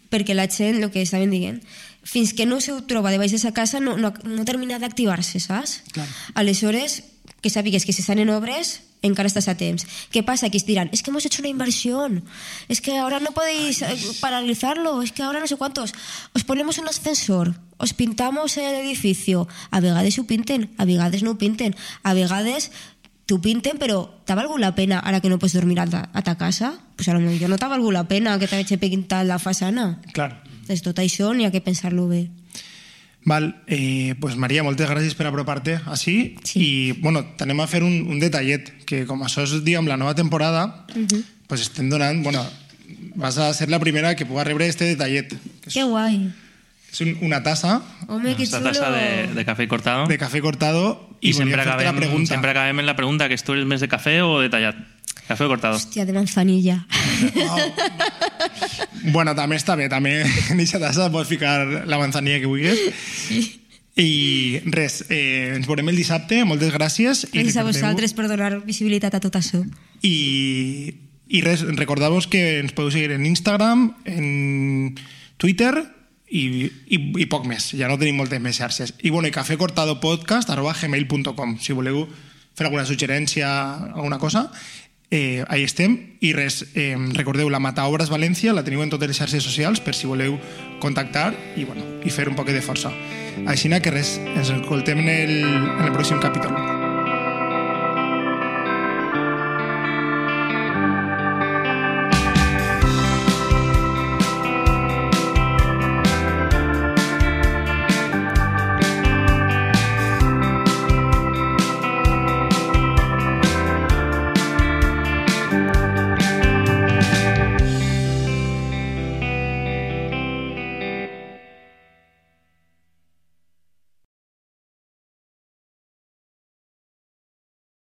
perquè la gent, el que estaven dient, fins que no se ho troba de baix de sa casa no, no, no termina d'activar-se, saps? Clar. Aleshores, que sàpigues que si estan en obres encara estàs a temps. ¿Qué pasa? Que es dirán, es que hemos hecho una inversión, es que ahora no podéis eh, paralizarlo, es que ahora no sé cuántos. Os ponemos un ascensor, os pintamos el edificio. A vegades ho pinten, a vegades no ho pinten, a vegades t'ho pinten, però t'ha valgut la pena ara que no pots dormir a ta, a ta casa? Pues a lo millor no t'ha valgut la pena que t'hagi pintat la façana. Clar. Des tot això n'hi ha que pensar-lo bé. Val, eh, pues Maria, moltes gràcies per apropar-te així. Sí. I, bueno, t'anem a fer un, un detallet, que com això és, diguem, la nova temporada, uh -huh. pues estem donant, bueno, vas a ser la primera que puga rebre este detallet. Que és, Que guai. és un, una tassa Home, que Esta xulo. taza de, de café cortado. de café cortado I i volia sempre fer-te la acabem, pregunta. sempre acabem en la pregunta, que tu eres més de cafè o de tallat? Café o cortado? Hòstia, de manzanilla. Oh. Bueno, també està bé, també en aquesta tassa pots ficar la manzanilla que vulguis. Sí. I res, eh, ens veurem el dissabte, moltes gràcies. I Gràcies a recordeu- vosaltres per donar visibilitat a tot això. I, i res, recordeu-vos que ens podeu seguir en Instagram, en Twitter i, i, i poc més. Ja no tenim moltes més xarxes. I bueno, i cafecortadopodcast arroba gmail punt com. Si voleu fer alguna suggerència, alguna cosa, eh, ahí estem. I res, eh, recordeu, la Mataobras València la teniu en totes les xarxes socials per si voleu contactar i, bueno, i fer un poc de força. Així que res, ens escoltem en el, en el pròxim capítol.